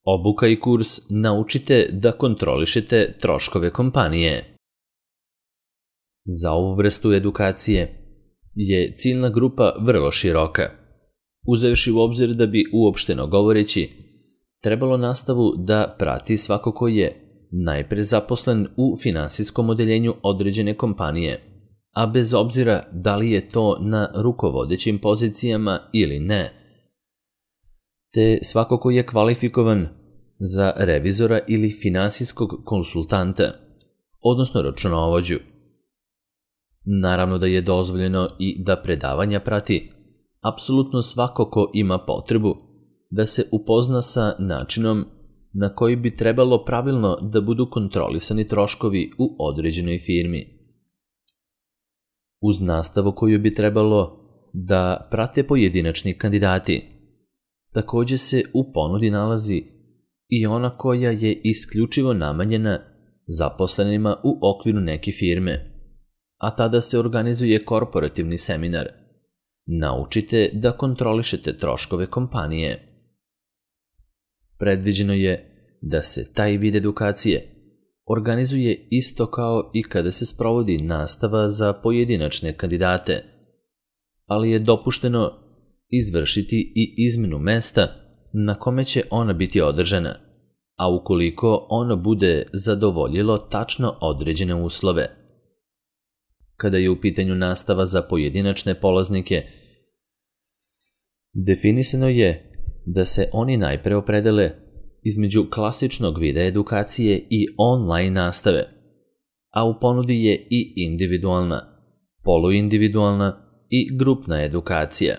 Obuka i kurs Naučite da kontrolišete troškove kompanije. Za ovu vrstu edukacije je ciljna grupa vrlo široka, uzevši u obzir da bi, uopšteno govoreći, trebalo nastavu da prati svako ko je najpre zaposlen u finansijskom odeljenju određene kompanije, a bez obzira da li je to na rukovodećim pozicijama ili ne, te svako ko je kvalifikovan za revizora ili finansijskog konsultanta, odnosno računovođu. Naravno da je dozvoljeno i da predavanja prati apsolutno svako ko ima potrebu da se upozna sa načinom na koji bi trebalo pravilno da budu kontrolisani troškovi u određenoj firmi. Uz nastavu koju bi trebalo da prate pojedinačni kandidati, takođe se u ponudi nalazi i ona koja je isključivo namenjena zaposlenima u okviru neke firme, a tada se organizuje korporativni seminar Naučite da kontrolišete troškove kompanije. Predviđeno je da se taj vid edukacije organizuje isto kao i kada se sprovodi nastava za pojedinačne kandidate, ali je dopušteno izvršiti i izmenu mesta na kome će ona biti održana, a ukoliko ono bude zadovoljilo tačno određene uslove. Kada je u pitanju nastava za pojedinačne polaznike, definisano je da se oni najpre opredele između klasičnog vida edukacije i online nastave, a u ponudi je i individualna, poluindividualna i grupna edukacija.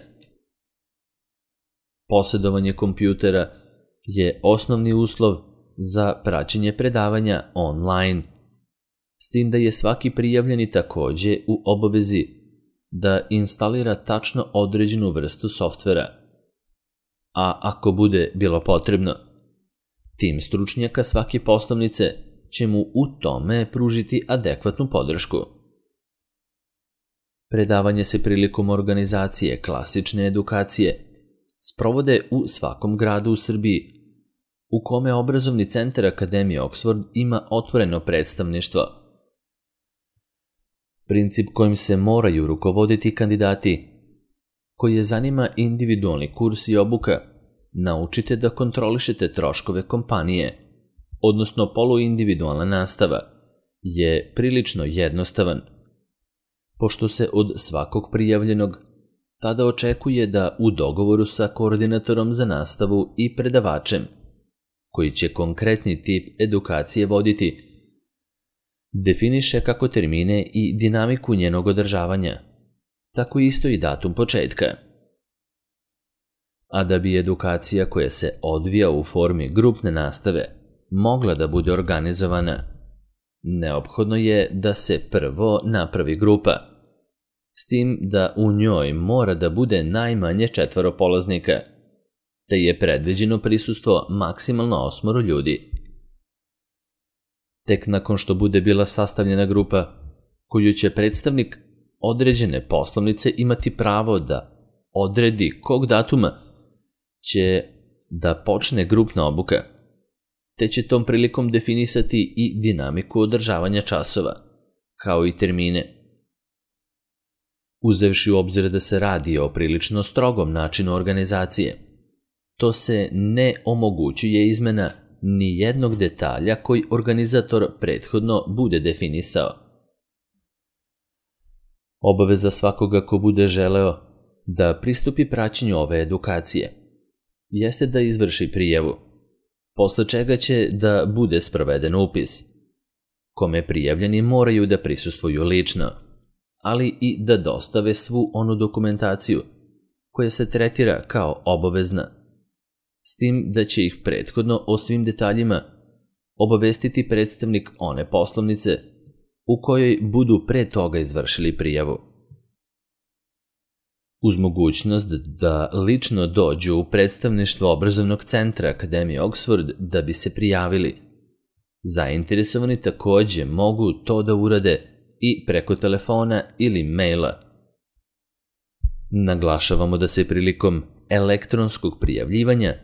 Posjedovanje kompjutera je osnovni uslov za praćenje predavanja online, s tim da je svaki prijavljeni takođe u obavezi da instalira tačno određenu vrstu softvera, a ako bude bilo potrebno, tim stručnjaka svake poslovnice će mu u tome pružiti adekvatnu podršku. Predavanje se prilikom organizacije klasične edukacije sprovode u svakom gradu u Srbiji, u kome obrazovni centar Akademije Oxford ima otvoreno predstavništvo. Princip kojim se moraju rukovoditi kandidati koji je zanima individualni kurs i obuka Naučite da kontrolišete troškove kompanije, odnosno poluindividualna nastava, je prilično jednostavan, pošto se od svakog prijavljenog tada očekuje da u dogovoru sa koordinatorom za nastavu i predavačem, koji će konkretni tip edukacije voditi, definiše kako termine i dinamiku njenog održavanja, tako isto i datum početka. A da bi edukacija koja se odvija u formi grupne nastave mogla da bude organizovana, neophodno je da se prvo napravi grupa, s tim da u njoj mora da bude najmanje 4 polaznika, te je predviđeno prisustvo maksimalno 8 ljudi. Tek nakon što bude bila sastavljena grupa, koju će predstavnik određene poslovnice imati pravo da odredi kog datuma će da počne grupna obuka, te će tom prilikom definisati i dinamiku održavanja časova, kao i termine. Uzevši u obzir da se radi o prilično strogom načinu organizacije, to se ne omogućuje izmena ni jednog detalja koji organizator prethodno bude definisao. Obaveza svakoga ko bude želeo da pristupi praćenju ove edukacije jeste da izvrši prijavu, posle čega će da bude sproveden upis, kome prijavljeni moraju da prisustvuju lično, ali i da dostave svu onu dokumentaciju koja se tretira kao obavezna, s tim da će ih prethodno o svim detaljima obavestiti predstavnik one poslovnice u kojoj budu pre toga izvršili prijavu. Uz mogućnost da lično dođu u predstavništvo obrazovnog centra Akademije Oxford da bi se prijavili, zainteresovani takođe mogu to da urade i preko telefona ili maila. Naglašavamo da se prilikom elektronskog prijavljivanja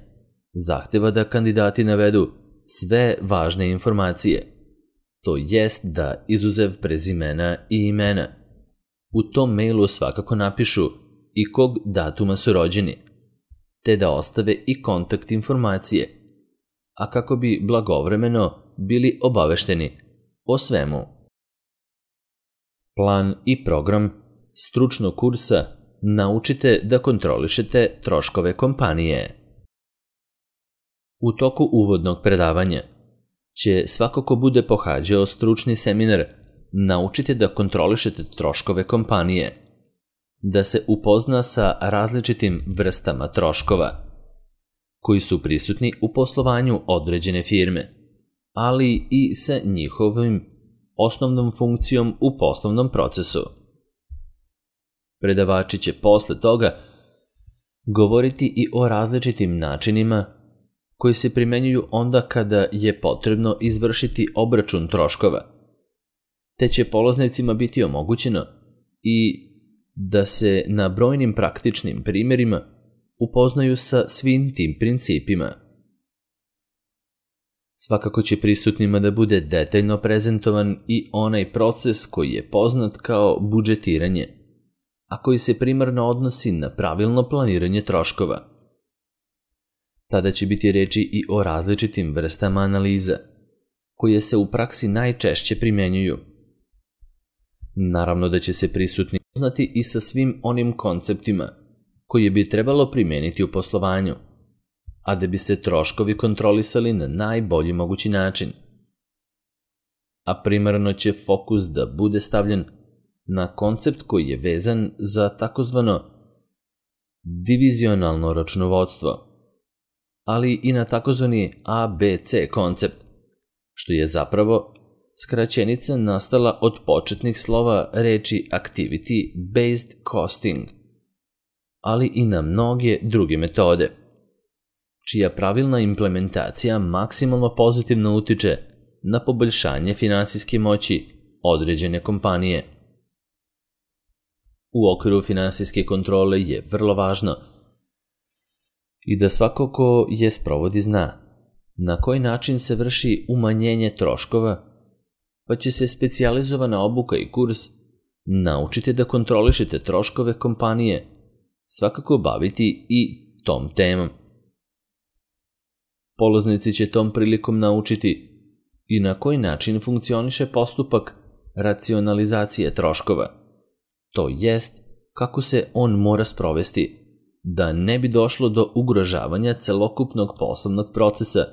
zahteva da kandidati navedu sve važne informacije, to jest da izuzev prezimena i imena, u tom mailu svakako napišu i kog datuma su rođeni, te da ostave i kontakt informacije, a kako bi blagovremeno bili obavešteni o svemu. Plan i program stručnog kursa naučite da kontrolišete troškove kompanije. U toku uvodnog predavanja će svako ko bude pohađao stručni seminar naučite da kontrolišete troškove kompanije, da se upozna sa različitim vrstama troškova koji su prisutni u poslovanju određene firme, ali i sa njihovim osnovnom funkcijom u poslovnom procesu. Predavači će posle toga govoriti i o različitim načinima koji se primenjuju onda kada je potrebno izvršiti obračun troškova, te će polaznicima biti omogućeno i da se na brojnim praktičnim primjerima upoznaju sa svim tim principima. Svakako će prisutnima da bude detaljno prezentovan i onaj proces koji je poznat kao budžetiranje, a koji se primarno odnosi na pravilno planiranje troškova. Tada će biti reči i o različitim vrstama analiza, koje se u praksi najčešće primenjuju. Naravno da će se prisutni upoznati i sa svim onim konceptima koje bi trebalo primeniti u poslovanju, a da bi se troškovi kontrolisali na najbolji mogući način. A primarno će fokus da bude stavljen na koncept koji je vezan za takozvano divizionalno računovodstvo, ali i na takozvani ABC koncept, što je zapravo skraćenica nastala od početnih slova reči activity-based costing, ali i na mnoge druge metode, čija pravilna implementacija maksimalno pozitivno utiče na poboljšanje finansijske moći određene kompanije. U okviru finansijske kontrole je vrlo važno i da svako ko je sprovodi zna na koji način se vrši umanjenje troškova, pa će se specijalizovana obuka i kurs naučiti da kontrolišete troškove kompanije svakako baviti i tom temom. Polaznici će tom prilikom naučiti i na koji način funkcioniše postupak racionalizacije troškova, to jest kako se on mora sprovesti da ne bi došlo do ugrožavanja celokupnog poslovnog procesa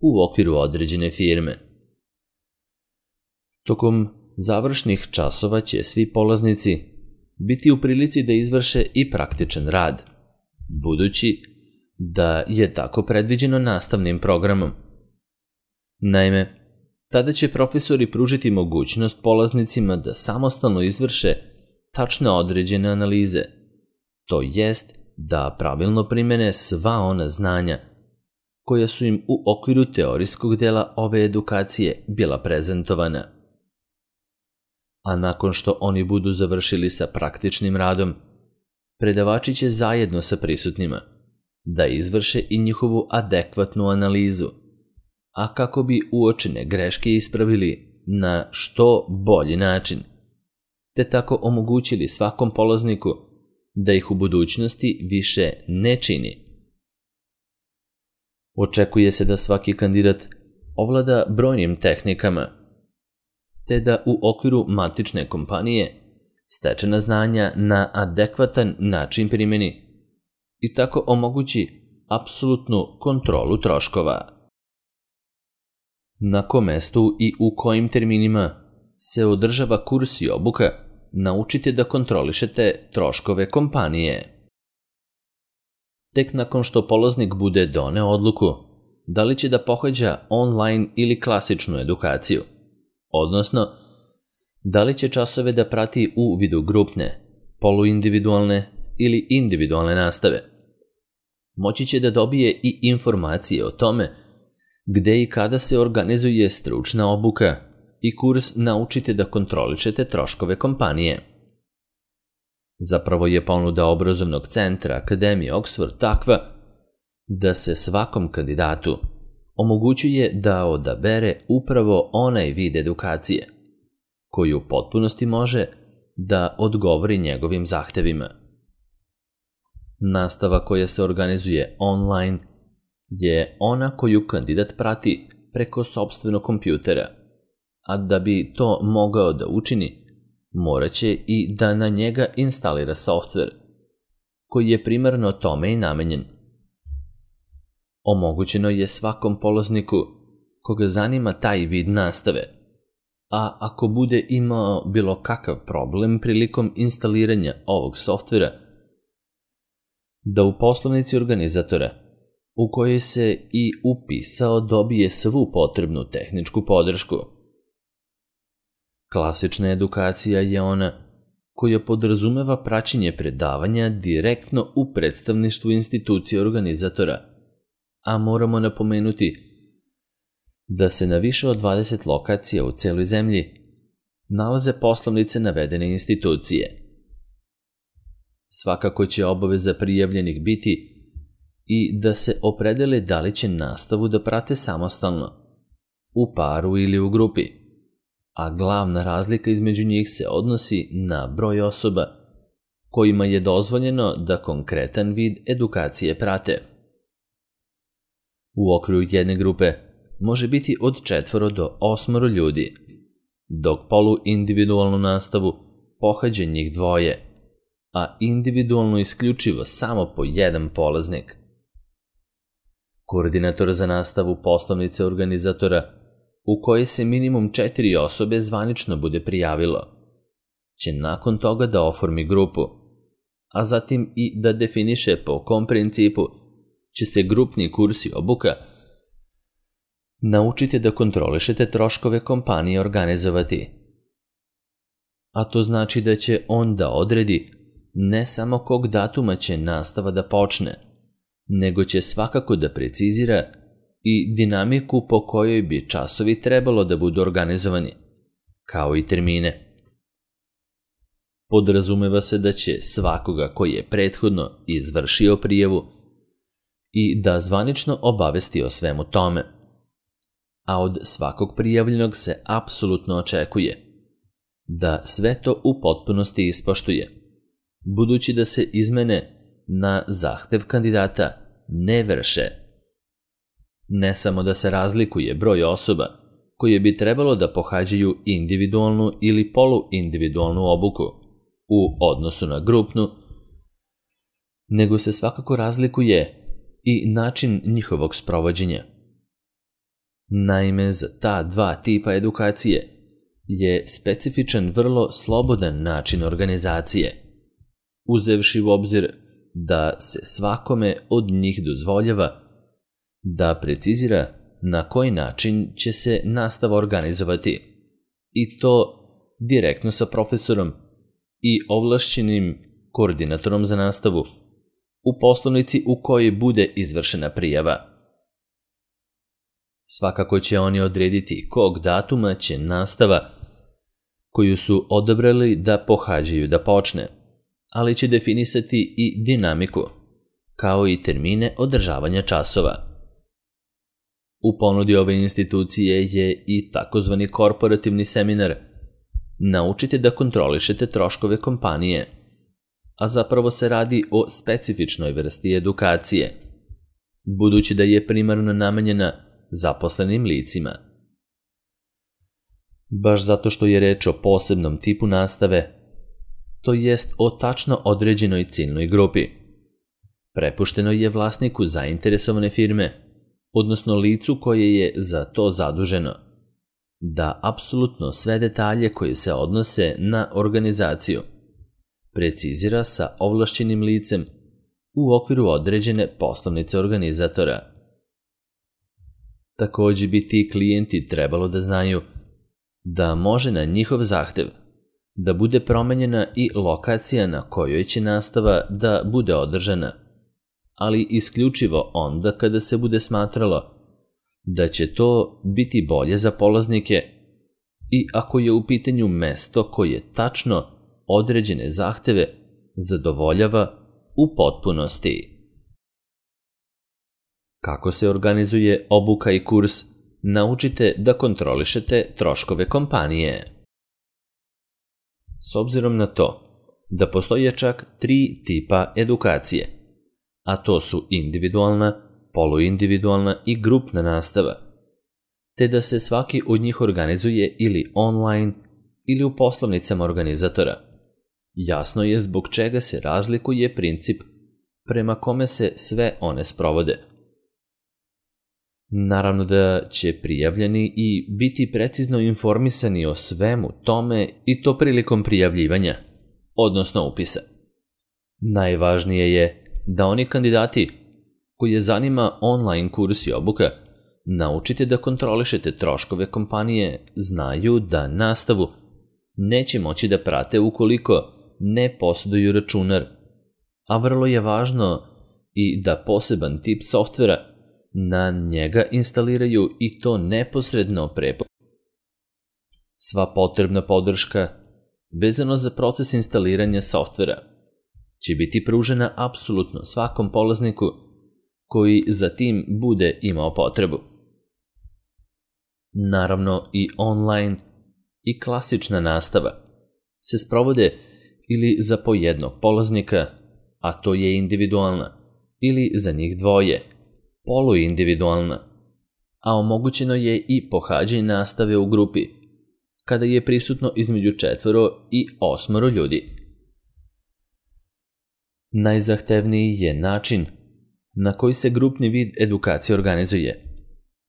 u okviru određene firme. Tokom završnih časova će svi polaznici biti u prilici da izvrše i praktičan rad, budući da je tako predviđeno nastavnim programom. Naime, tada će profesori pružiti mogućnost polaznicima da samostalno izvrše tačno određene analize, to jest da pravilno primene sva ona znanja koja su im u okviru teorijskog dela ove edukacije bila prezentovana. A nakon što oni budu završili sa praktičnim radom, predavači će zajedno sa prisutnima da izvrše i njihovu adekvatnu analizu, a kako bi uočene greške ispravili na što bolji način, te tako omogućili svakom polazniku da ih u budućnosti više ne čini. Očekuje se da svaki kandidat ovlada brojnim tehnikama, te da u okviru matične kompanije stečena znanja na adekvatan način primeni i tako omogući apsolutnu kontrolu troškova. Na kom mestu i u kojim terminima se održava kurs i obuka, naučite da kontrolišete troškove kompanije. Tek nakon što polaznik bude doneo odluku da li će da pohađa online ili klasičnu edukaciju, odnosno da li će časove da prati u vidu grupne, poluindividualne ili individualne nastave, moći će da dobije i informacije o tome gde i kada se organizuje stručna obuka i kurs naučite da kontrolišete troškove kompanije. Zapravo je ponuda obrazovnog centra Akademije Oxford takva da se svakom kandidatu omogućuje da odabere upravo onaj vid edukacije koji u potpunosti može da odgovori njegovim zahtevima. Nastava koja se organizuje online je ona koju kandidat prati preko sopstvenog kompjutera, a da bi to mogao da učini, moraće i da na njega instalira softver, koji je primarno tome i namenjen. Omogućeno je svakom polazniku koga zanima taj vid nastave, a ako bude imao bilo kakav problem prilikom instaliranja ovog softvera, da u poslovnici organizatora, u kojoj se i upisao, dobije svu potrebnu tehničku podršku. Klasična edukacija je ona koja podrazumeva praćenje predavanja direktno u predstavništvu institucije organizatora, a moramo napomenuti da se na više od 20 lokacija u celoj zemlji nalaze poslovnice navedene institucije. Svakako će obaveza prijavljenih biti i da se opredele da li će nastavu da prate samostalno, u paru ili u grupi, a glavna razlika između njih se odnosi na broj osoba kojima je dozvoljeno da konkretan vid edukacije prate. U okviru jedne grupe može biti od 4 do 8 ljudi, dok poluindividualnu nastavu pohađa njih 2, a individualno isključivo samo po 1 polaznik. Koordinator za nastavu poslovnice organizatora, u kojoj se minimum 4 osobe zvanično bude prijavilo, će nakon toga da oformi grupu, a zatim i da definiše po kom principu će se grupni kursi obuka naučite da kontrolišete troškove kompanije organizovati. A to znači da će on da odredi ne samo kog datuma će nastava da počne, nego će svakako da precizira i dinamiku po kojoj bi časovi trebalo da budu organizovani, kao i termine. Podrazumeva se da će svakoga koji je prethodno izvršio prijavu i da zvanično obavesti o svemu tome, a od svakog prijavljenog se apsolutno očekuje da sve to u potpunosti ispoštuje, budući da se izmene na zahtev kandidata ne vrše. Ne samo da se razlikuje broj osoba koje bi trebalo da pohađaju individualnu ili poluindividualnu obuku u odnosu na grupnu, nego se svakako razlikuje i način njihovog sprovođenja. Naime, za ta 2 tipa edukacije je specifičan vrlo slobodan način organizacije, uzevši u obzir da se svakome od njih dozvoljava da precizira na koji način će se nastava organizovati, i to direktno sa profesorom i ovlašćenim koordinatorom za nastavu u poslovnici u kojoj bude izvršena prijava. Svakako će oni odrediti kog datuma će nastava koju su odabrali da pohađaju da počne, ali će definisati i dinamiku, kao i termine održavanja časova. U ponudi ove institucije je i takozvani korporativni seminar Naučite da kontrolišete troškove kompanije, a zapravo se radi o specifičnoj vrsti edukacije, budući da je primarno namenjena zaposlenim licima. Baš zato što je reč o posebnom tipu nastave, to jest o tačno određenoj ciljnoj grupi. Prepušteno je vlasniku zainteresovane firme, odnosno licu koje je za to zaduženo, da apsolutno sve detalje koje se odnose na organizaciju precizira sa ovlašćenim licem u okviru određene poslovnice organizatora. Takođe bi ti klijenti trebalo da znaju da može na njihov zahtev da bude promenjena i lokacija na kojoj će nastava da bude održana, ali isključivo onda kada se bude smatralo da će to biti bolje za polaznike i ako je u pitanju mesto koje tačno određene zahteve zadovoljava u potpunosti. Kako se organizuje obuka i kurs, naučite da kontrolišete troškove kompanije. S obzirom na to da postoje čak 3 tipa edukacije, a to su individualna, poluindividualna i grupna nastava, te da se svaki od njih organizuje ili online ili u poslovnicama organizatora, jasno je zbog čega se razlikuje princip prema kome se sve one sprovode. Naravno da će prijavljeni i biti precizno informisani o svemu tome i to prilikom prijavljivanja, odnosno upisa. Najvažnije je da oni kandidati koje zanima online kurs i obuka, naučite da kontrolišete troškove kompanije, znaju da nastavu neće moći da prate ukoliko ne posjeduju računar, a vrlo je važno i da poseban tip softvera na njega instaliraju i to neposredno pre. Sva potrebna podrška vezano za proces instaliranja softvera će biti pružena apsolutno svakom polazniku koji za tim bude imao potrebu. Naravno i online i klasična nastava se sprovode ili za po jednog polaznika, a to je individualna, ili za njih dvoje, poluindividualna, a omogućeno je i pohađanje nastave u grupi, kada je prisutno između 4 i 8 ljudi. Najzahtevniji je način na koji se grupni vid edukacije organizuje,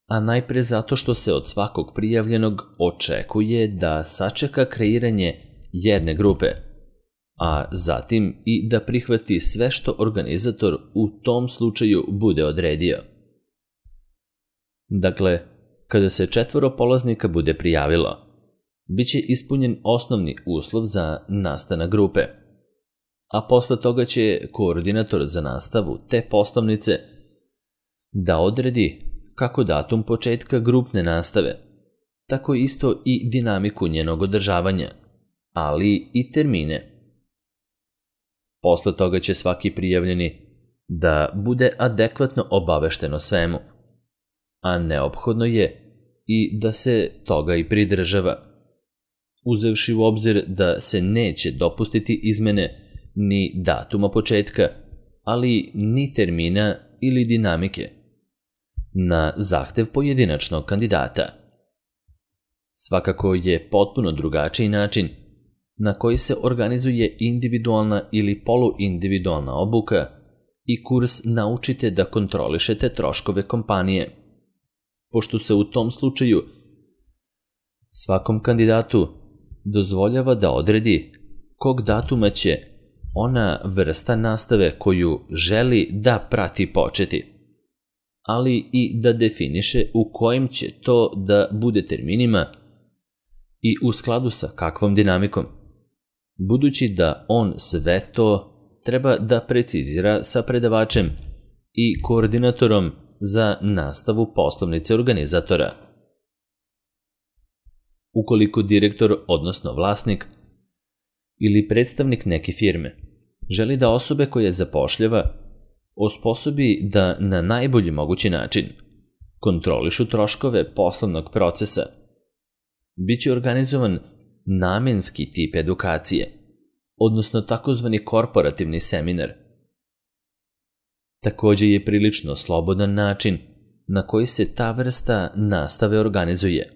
a najpre zato što se od svakog prijavljenog očekuje da sačeka kreiranje jedne grupe, a zatim i da prihvati sve što organizator u tom slučaju bude odredio. Dakle, kada se 4 polaznika bude prijavilo, bit će ispunjen osnovni uslov za nastanak grupe, a posle toga će koordinator za nastavu te poslovnice da odredi kako datum početka grupne nastave, tako isto i dinamiku njenog održavanja, ali i termine. Posle toga će svaki prijavljeni da bude adekvatno obavešten o svemu, a neophodno je i da se toga i pridržava, uzevši u obzir da se neće dopustiti izmene ni datuma početka, ali ni termina ili dinamike, na zahtev pojedinačnog kandidata. Svakako je potpuno drugačiji način na koji se organizuje individualna ili poluindividualna obuka i kurs naučite da kontrolišete troškove kompanije, pošto se u tom slučaju svakom kandidatu dozvoljava da odredi kog datuma će ona vrsta nastave koju želi da prati početi, ali i da definiše u kojim će to da bude terminima i u skladu sa kakvom dinamikom, budući da on sve to treba da precizira sa predavačem i koordinatorom za nastavu poslovnice organizatora. Ukoliko direktor, odnosno vlasnik ili predstavnik neke firme želi da osobe koje zapošljava osposobi da na najbolji mogući način kontrolišu troškove poslovnog procesa, biće organizovan namenski tip edukacije, odnosno takozvani korporativni seminar. Takođe je prilično slobodan način na koji se ta vrsta nastave organizuje,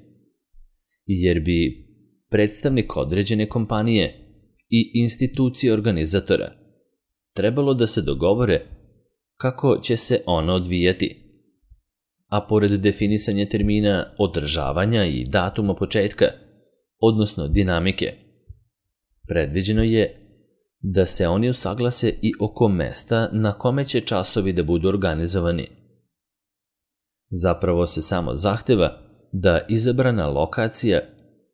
jer bi predstavnik određene kompanije i institucije organizatora trebalo da se dogovore kako će se ona odvijati, a pored definisanja termina održavanja i datuma početka, odnosno dinamike, predviđeno je da se oni usaglase i oko mesta na kome će časovi da budu organizovani. Zapravo se samo zahteva da izabrana lokacija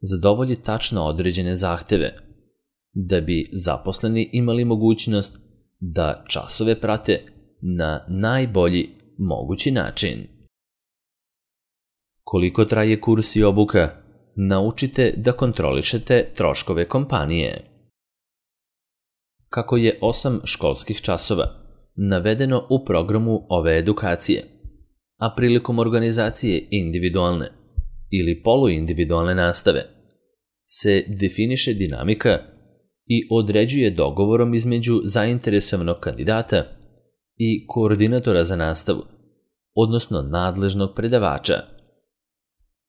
zadovolji tačno određene zahteve, da bi zaposleni imali mogućnost da časove prate na najbolji mogući način. Koliko traje kurs i obuka, naučite da kontrolišete troškove kompanije. Kako je 8 školskih časova navedeno u programu ove edukacije, a prilikom organizacije individualne ili poluindividualne nastave se definiše dinamika i određuje dogovorom između zainteresovanog kandidata i koordinatora za nastavu, odnosno nadležnog predavača.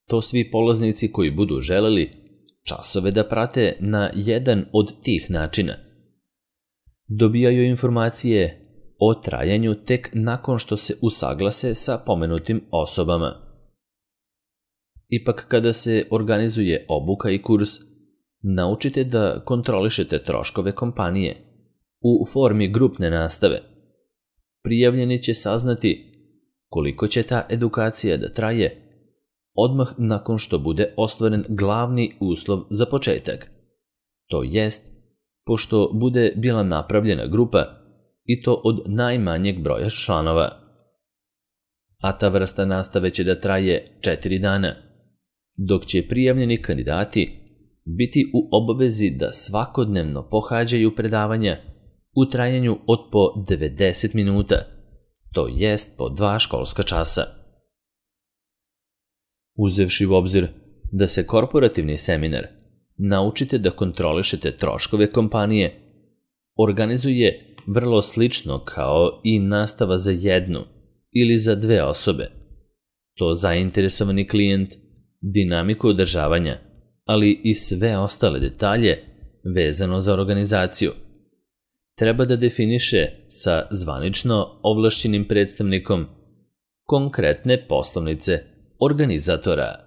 To svi polaznici koji budu želeli časove da prate na jedan od tih načina dobijaju informacije o trajanju tek nakon što se usaglase sa pomenutim osobama. Ipak kada se organizuje obuka i kurs, naučite da kontrolišete troškove kompanije u formi grupne nastave. Prijavljeni će saznati koliko će ta edukacija da traje odmah nakon što bude ostvaren glavni uslov za početak. To jest, pošto bude bila napravljena grupa i to od najmanjeg broja članova. A ta vrsta nastave će da traje 4 dana, dok će prijavljeni kandidati biti u obavezi da svakodnevno pohađaju predavanja u trajanju od po 90 minuta, to jest po 2 školska časa. Uzevši u obzir da se korporativni seminar naučite da kontrolišete troškove kompanije organizuje vrlo slično kao i nastava za jednu ili za 2 osobe. To zainteresovani klijent, dinamiku održavanja, ali i sve ostale detalje vezano za organizaciju treba da definiše sa zvanično ovlašćenim predstavnikom konkretne poslovnice organizatora.